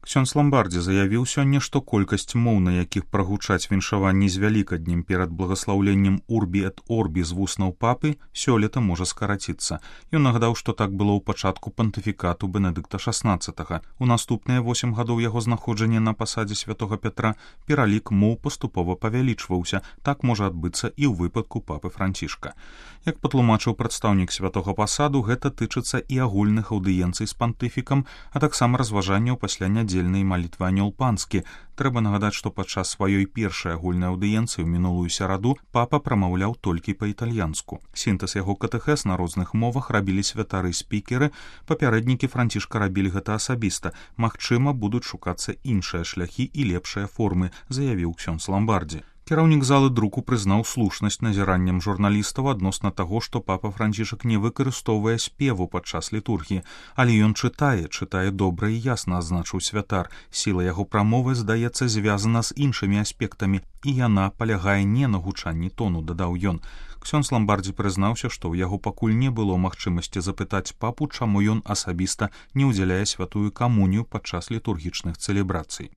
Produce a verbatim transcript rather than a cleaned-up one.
Ксёндз Ламбардзі заявіў сёння, што колькасць моў, на якіх прагучаць віншаванні з вялікаднем перад благаслаўленнем Урбі эт Орбі з вуснаў папы, сёлета можа скараціцца. Ён нагадаў, што так было ў пачатку пантыфікату Бенедыкта шаснаццатага. У наступныя восем гадоў яго знаходжання на пасадзе святога Пятра пералік моў паступова павялічваўся. Так можа адбыцца і ў выпадку папы Францішка. Як патлумачыў прадстаўнік святога пасаду, гэта тычыцца і агульных аўдыенцый з пантыфікам, а таксама разважанняў пасля нядзельнай малітвы Анёл Панскі. Трэба нагадаць, што падчас сваёй першай агульнай аўдыенцыі ў мінулую сераду папа прамаўляў толькі па-італьянску. Сінтэз яго катэхез на розных мовах рабілі святары-спікеры, папярэднікі Францішка рабілі гэта асабіста. Магчыма, будуць шукацца іншыя шляхі і лепшыя формы, заявіў ксёндз Ламбардзі. Кіраўнік залы друку прызнаў слушнасць назіранням журналістаў адносна таго, што папа Францішак не выкарыстоўвае спеву падчас літургіі, але ён чытае, чытае добра і ясна, адзначыў святар. Сіла яго прамовы, здаецца, звязана з іншымі аспектамі, і яна палягае не на гучанні тону, дадаў ён. Ксёндз Ламбардзі прызнаўся, што ў яго пакуль не было магчымасці запытаць папу, чаму ён асабіста не ўдзяляе святую камунію падчас літургічных цэлебрацый.